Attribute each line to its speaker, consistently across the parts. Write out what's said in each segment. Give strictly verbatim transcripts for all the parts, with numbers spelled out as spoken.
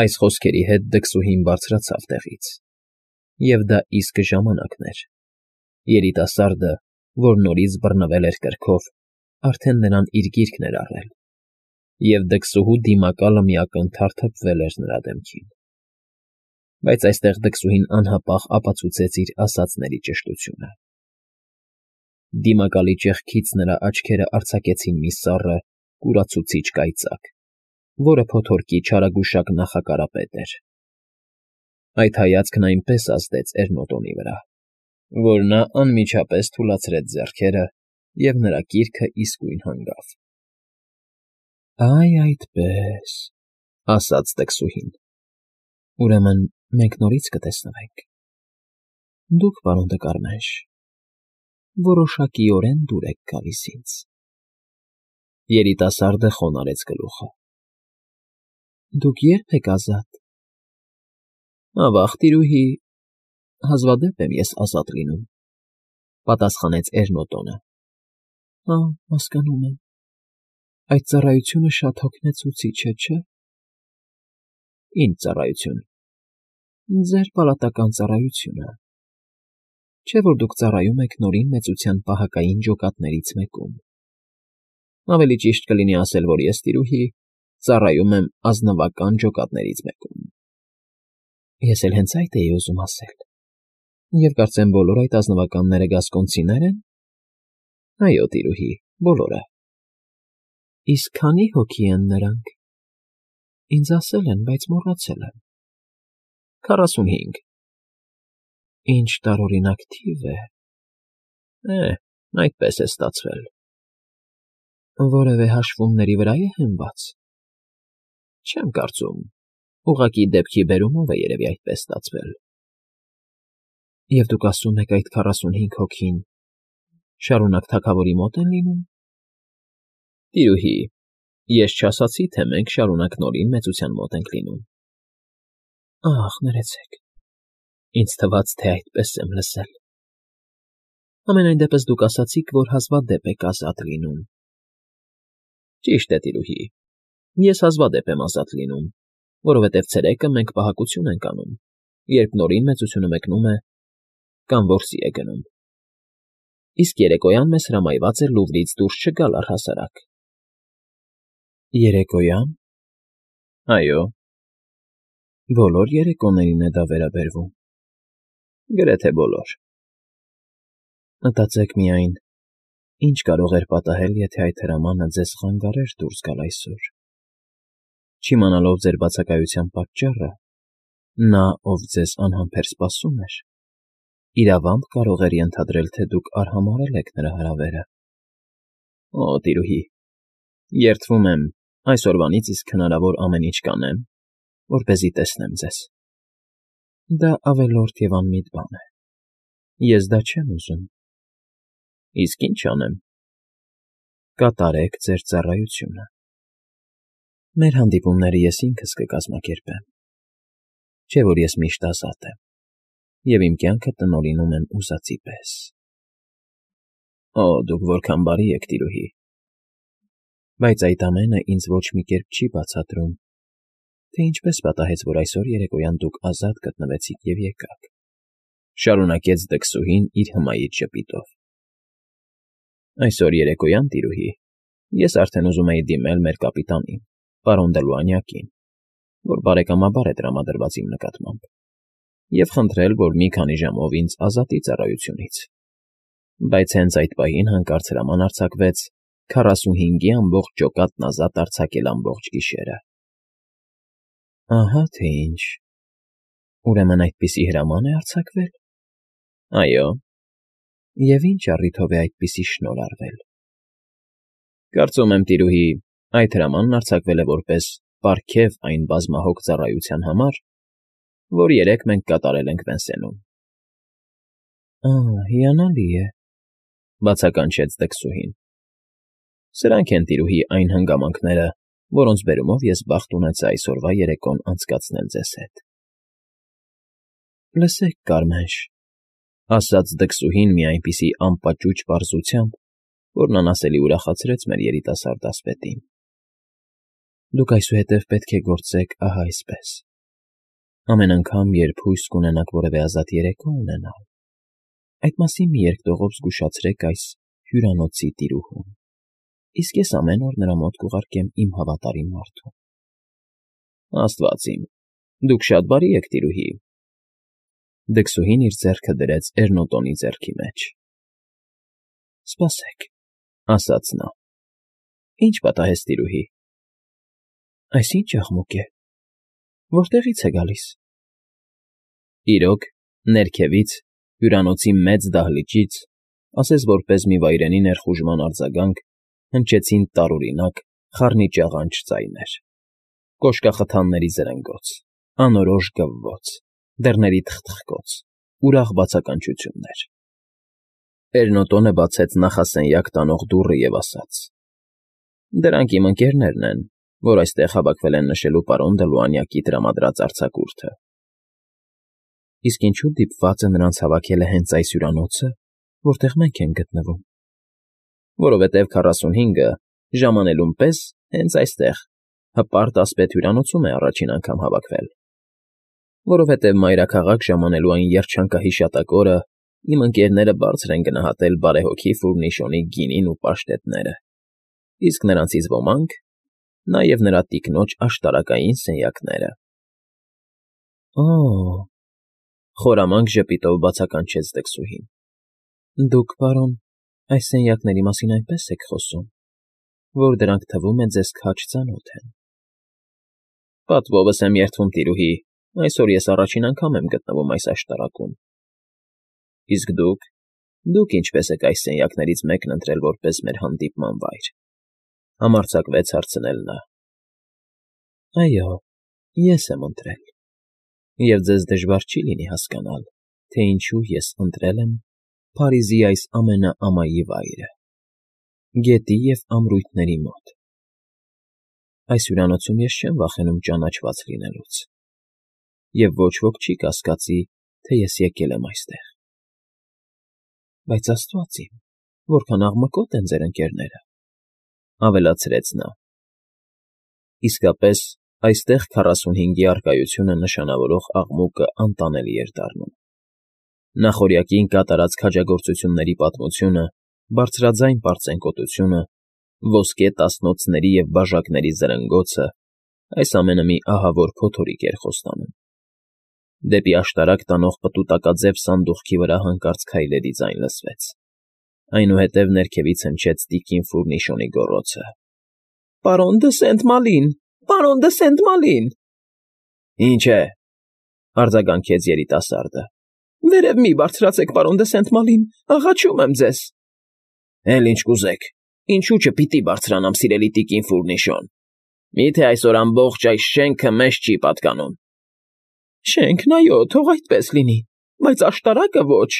Speaker 1: Այս խոսքերի հետ դքսուհին բարձրացավ տեղից, և դա իսկ ժամանակն էր. երիտասարդը, որ նորից բռնվել էր կրքով, արդեն նրան իր գիրկն էր առել, և դքսուհու դիմակալը մի ակնթարթ հպվել էր նրա դեմքին, բայց այստեղ դքսուհին անհապաղ ապացուցեց իր ասածների ճշտությունը. դիմակալի ճեղքից նրա աչքերը արձակեցին մի սառը, կուրացուցիչ կայծակ, որը փոթորկի չարագուշակ նախակարապետ էր. այդ հայացքն այնպես ազդեց Էրնոտոնի վրա, որ նա անմիջապես թուլացրեց ձեռքերը, և նրա կիրքը իսկույն հանգավ։ ֊ Այ այդպես,֊ ասաց դքսուհին,֊ ուրեմն մենք նորից կտեսնվենք… Դուք, պարոն Դկարմենշ, որոշակիորեն դուր եք գալիս ինձ… Երիտասարդը խոնարհեց գլուխը։ ֊ Դուք ե՞րբ եք ազատ։ ֊ Ավա՜ղ, տիրուհի, հազվադեպ եմ ես ազատ լինում,֊ պատասխանեց Էրնոտոնը։ ֊ Հա, հասկանում եմ, այդ ծառայությունը շատ հոգնեցուցիչ է, չէ՞։ ֊ Ի՞նչ ծառայություն։ ֊ Ձեր պալատական ծառայությունը… Չէ՞ որ դուք ծառայում եք Նորին Մեծության պահակային ջոկատներից մեկում… Ավելի ճիշտ կլինի ասել, որ ես, տիրուհի, ծառայում եմ ազնվական ջոկատներից մեկում… ֊ Ես էլ հենց այդ էի ուզում ասել… Եվ կարծեմ բոլոր այդ ազնվականները գասկոնցինե՞ր են։ ֊ Այո, տիրուհի, բոլորը։ ֊ Իսկ քանի՞ հոգի են նրանք։ ֊ Ինձ ասել են, բայց մոռացել եմ։ ֊ Քառասունհինգ։ ֊ Ինչ տարօրինակ թիվ է… Է, այդպես է ստացվել։ ֊ Որևէ հաշվումների վրա է հենված։ ֊ Չեմ կարծում, ուղղակի դեպքի բերումով է երևի այդպես ստացվել։ ֊ Եվ դուք ասում եք այդ քառասունհինգ հոգին շարունակ թագավորի մոտ են լինում։ ֊ Տիրուհի, ես չասացի, թե մենք շարունակ Նորին Մեծության մոտ ենք լինում։ ֊ Ախ, ներեցեք, ինձ թվաց, թե այդպես եմ լսել։ ֊ Համենայն դեպս դուք ասացիք, որ հազվադեպ եք ազատ լինում։ ֊ Ճիշտ է, տիրուհի, ես հազվադեպ եմ ազատ լինում, որովհետև ցերեկը մենք պահակություն ենք անում, երբ Նորին Մեծությունը մեկնում է կամ որսի է գնում, իսկ երեկոյան մեզ հրամայված էր Լուվրից դուրս չգալ առհասարակ։ ֊ Երեկոյա՞ն։ ֊ Այո։ ֊ Բոլոր երեկոներին է դա վերաբերվում։ ֊ Գրեթե բոլոր։ ֊ Մտածեք միայն, ինչ կարող էր պատահել, եթե այդ հրամանը ձեզ խանգարեր դուրս գալ այսօր։ Չիմանալով ձեր բացակայության պատճառը, նա, ով ձեզ անհամբեր սպասում էր, իրավամբ կարող էր ենթադրել, թե դուք արհամարհել եք նրա հրավերը։ ֊ Օ, տիրուհի, երդվում եմ, այսօրվանից իսկ հնարավոր ամեն ինչ կանեմ, որպեսզի տեսնեմ ձեզ։ ֊ Դա ավելորդ և անմիտ բան է… Ես դա չեմ ուզում։ ֊ Իսկ ի՞նչ անեմ։ ֊ Կատարեք ձեր ծառայությունը։ Մեր հանդիպումները ես ինքս կկազմակերպեմ, չէ՞ որ ես միշտ ազատ եմ և իմ կյանքը տնօրինում եմ ուզածի պես։ ֊ Օ, դուք որքան բարի եք, տիրուհի… Բայց այդ ամենը ինձ ոչ մի կերպ չի բացատրում, թե ինչպես պատահեց, որ այսօր երեկոյան դուք ազատ գտնվեցիք և եկաք,֊ շարունակեց դքսուհին իր հմայիչ ժպիտով։ ֊ Այսօր երեկոյան, տիրուհի, ես արդեն ուզում էի դիմել մեր կապիտանին, պարոն Դլուանյակին, որ բարեկամաբար է տրամադրված իմ նկատմամբ, և խնդրել, որ մի քանի ժամով ինձ ազատի ծառայությունից, բայց հենց այդ պահին հանկարծ հրաման արձակվեց քառասունհինգի ամբողջ ջոկատն ազատ արձակել ամբողջ գիշերը։ ֊ Ահա թե ինչ… Ուրեմն այդպիսի հրաման է արձակվել։ ֊ Այո։ ֊ Եվ ինչ առիթով է այդպիսի շնորհ արվել։ ֊ Կարծում եմ, տիրուհի, այդ հրամանն արձակվել է որպես պարգև այն բազմահոգ ծառայության համար, որ երեկ մենք կատարել ենք Վենսենում։ ֊ Ա՜, հիանալի է,֊ բացականչեց դքսուհին։ ֊ Սրանք են, տիրուհի, այն հանգամանքները, որոնց բերումով ես բախտ ունեցա այսօրվա երեկոն անցկացնել ձեզ հետ։ ֊ Լսեք, Կարմենշ,֊ ասաց դքսուհին մի այնպիսի անպաճուճ պարզությամբ, որն անասելի ուրախացրեց մեր երիտասարդ ասպետին,֊ դուք այսուհետև պետք է գործեք ահա այսպես։ Ամեն անգամ, երբ հույս կունենաք որևէ ազատ երեկո ունենալ, այդ մասին մի երկտողով զգուշացրեք այս հյուրանոցի տիրուհուն, իսկ ես ամեն օր նրա մոտ կուղարկեմ իմ հավատարիմ մարդուն։ Աստված իմ, դուք շատ բարի եք, տիրուհի։ Դքսուհին իր ձեռքը դրեց Էրնոտոնի ձեռքի մեջ։ Սպասեք, ասաց նա։ Ինչ պատահեց, տիրուհի։ Այս ինչ աղմուկ է։ Որտեղից է գալիս։ Իրոք, ներքևից, հյուրանոցի մեծ դահլիճից, ասես որպես մի վայրենի ներխուժման արձագանք, հնչեցին տարօրինակ, խառնիճաղանճ ձայներ. կոշկախթանների զրնգոց, անորոշ գվվոց, դռների թխթխկոց, ուրախ բացականչություններ։ Էրնոտոնը բացեց նախասենյակ տանող դուռը և ասաց. Դրանք իմ ընկերներն են, որ այստեղ հավաքվել են նշելու պարոն Դլուանյակի տրամադրած արձակուրդը։ Իսկ ինչու դիպված է նրանց հավաքելը հենց այս հյուրանոցը, որտեղ մենք ենք գտնվում։ Որովհետև քառասունհինգը ժամանելուն պես հենց այստեղ, հպարտ ասպետ հյուրանոցում է առաջին անգամ հավաքվել։ Որովհետև մայրաքաղաք ժամանելու այն երջանկահիշատակ օրը իմ ընկերները բարձր են գնահատել բարեհոգի Ֆուրնիշոնի գինին ու պաշտետները, իսկ նրանցից ոմանք, նաև նրա տիկնոջ աշտարակային սենյակները։ Օ՜, խորամանկ ժպիտով բացականչեց դքսուհին։ Դուք, պարոն, այս սենյակների մասին այնպես եք խոսում, որ դրանք թվում է ձեզ քաջ ծանոթ են։ Պատվովս եմ երդվում, տիրուհի, այսօր ես առաջին անգամ եմ գտնվում այս աշտարակում։ Իսկ դուք, դուք ինչպես եք այս սենյակներից մեկն ընտրել որպես մեր հանդիպման վայր։ Համարձակվեց հարցնել նա։ Այո, ես եմ ընտրել։ Եվ ձեզ դժվար չի լինի հասկանալ, թե ինչու ես ընտրել եմ Փարիզի այս ամենաամայի վայրը, գետի և ամրույթների մոտ։ Այս հյուրանոցում ես չեմ վախենում ճանաչված լինելուց, և ոչ ոք չի կասկածի, թե ես եկել եմ այստեղ։ Բայց Աստված իմ, որքան աղմկոտ են ձեր ընկերները, ավելացրեց նա։ Իսկապես, այստեղ քառասունհինգի առկայությունը նշանավորող աղմուկը անտանելի էր դառնում։ Նախօրյակին կատարած քաջագործությունների պատմությունը, բարձրաձայն պարծենկոտությունը, ոսկե տասնոցների և բաժակների զրնգոցը, այս ամենը մի ահավոր փոթորիկ էր խոստանում։ Դեպի աշտարակ տանող պտուտակաձև սանդուղքի վրա հանկարծ քայլերի ձայն լսվեց։ Այնուհետև ներքևից հնչեց տիկին Ֆուրնիշոնի գոռոցը. Պարոն դը Սենտ֊Մալին, պարոն դը Սենտ֊Մալին։ Ինչ է, արձագանքեց երիտասարդը։ Վերև մի բարձրացեք, պարոն դը Սենտ֊Մալին, աղաչում եմ ձեզ։ Էլ ինչ կուզեք, ինչու չպիտի բարձրանամ, սիրելի տիկին Ֆուրնիշոն։ Միթե այսօր ամբողջ այս շենքը մեզ չի պատկանում։ Շենքն, այո, թող այդպես լինի, բայց աշտարակը ոչ։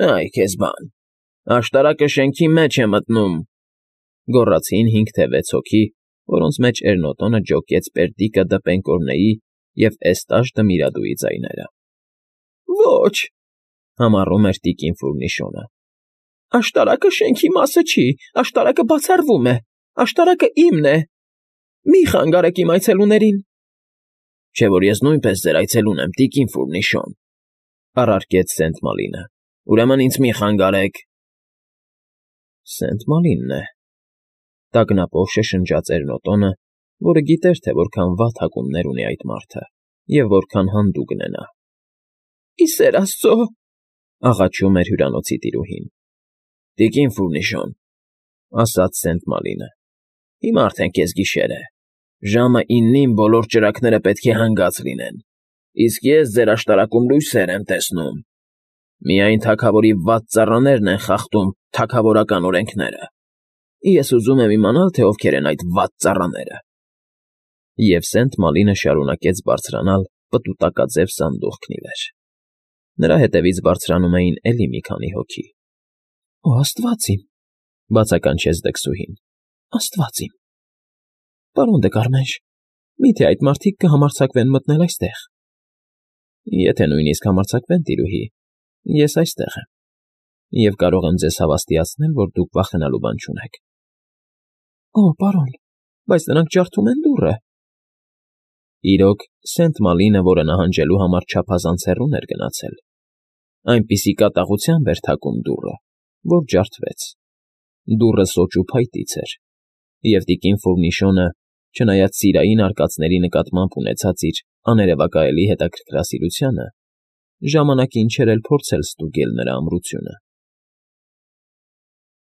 Speaker 1: Այ քեզ բան, աշտարակը շենքի մեջ է մտնում, գոռացին հինգ թե վեց հոգի, որոնց մեջ Էրնոտոնը ջոկեց Պերդիկը Դպենկորնեի և Էստաժ Դմիրադուի ձայները։ Ոչ, համառում էր տիկին Ֆուրնիշոնը։ Աշտարակը շենքի մասը չի, աշտարակը բացառվում է, աշտարակը իմն է։ Մի խանգարեք իմ այցելուներին։ Չէ՞ որ ես նույնպես ձեր այցելուն եմ, տիկին Ֆուրնիշոն, առարկեց Սենտ֊Մալինը։ Ուրեմն ինձ մի խանգարեք։ Սենտ֊Մալինն է, տագնապով շշնջաց Էրնոտոնը, որը գիտեր, թե որքան վատ հակումներ ունի այդ մարդը և որքան հանդուգն է նա։ Ի սեր Աստծո, աղաչում էր հյուրանոցի տիրուհին։ Տիկին Ֆուրնիշոն, ասաց Սենտ֊Մալինը, հիմա արդեն կեսգիշեր է, ժամը իննին բոլոր ճրագները պետք է հանգած լինեն, իսկ ես ձեր աշտարակում լույսեր եմ տեսնում։ Միայն թագավորի վատ ծառաներն են խախտում թագավորական օրենքները։ Ես ուզում եմ իմանալ, թե ովքեր են այդ վատ ծառաները։ Եվ Սենտ֊Մալինը շարունակեց բարձրանալ պտուտակաձև սանդուղքն ի վեր։ Նրա հետևից բարձրանում էին էլի մի քանի հոգի։ Օ, Աստված իմ, բացականչեց դքսուհին, Աստված իմ։ Պարոն դե Կարմենշ, միթե այդ մարդիկ կհամարձակվեն մտնել այստեղ։ Եթե նույնիսկ համարձակվեն, տիրուհի, ես այստեղ եմ, և կարող եմ ձեզ հավաստիացնել, որ դուք վախենալու բան չունեք։ Օ, պարոն, բայց նրանք ջարդում են դուռը։ Իրոք, Սենտ Մալինը, որը նահանջելու համար չափազանց հեռու էր գնացել, այնպիսի կատաղությամբ էր թակում դուռը, որ ջարդվեց. դուռը սոճու փայտից էր, և տիկին Ֆոյնիշոնը, չնայած սիրային արկածների նկատմամբ ունեցած իր աներևակայելի հետաքրքրասիրությանը, ժամանակին չէր էլ փորձել ստուգել նրա ամրությունը։